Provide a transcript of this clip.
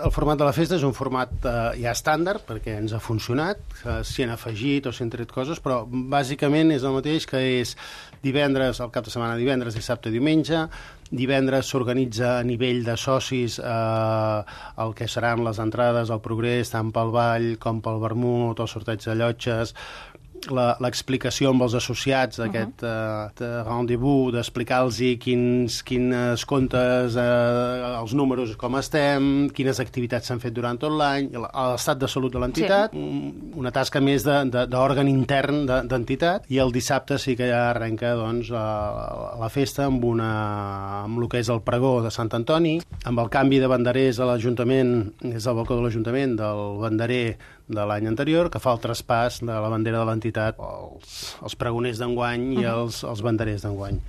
El format de la festa és un format ja estàndard, perquè ens ha funcionat, s'hi han afegit o s'hi han tret coses, però bàsicament és el mateix, que és divendres, el cap de setmana, divendres, dissabte i diumenge. Divendres s'organitza a nivell de socis el que seran les entrades al Progrés, tant pel ball com pel vermut, el sorteig de llotges, l'explicació amb els associats d'aquest rendezvous, d'explicar-los quins comptes, els números, com estem, quines activitats s'han fet durant tot l'any, l'estat de salut de l'entitat, una tasca més d'òrgan intern d'entitat, i el dissabte sí que ja arrenca doncs, la festa amb el que és el pregó de Sant Antoni, amb el canvi de banderers a l'Ajuntament, és el balcó de l'Ajuntament, del banderer de l'any anterior, que fa el traspàs de la bandera de l'entitat als pregoners d'enguany i als banderers d'enguany.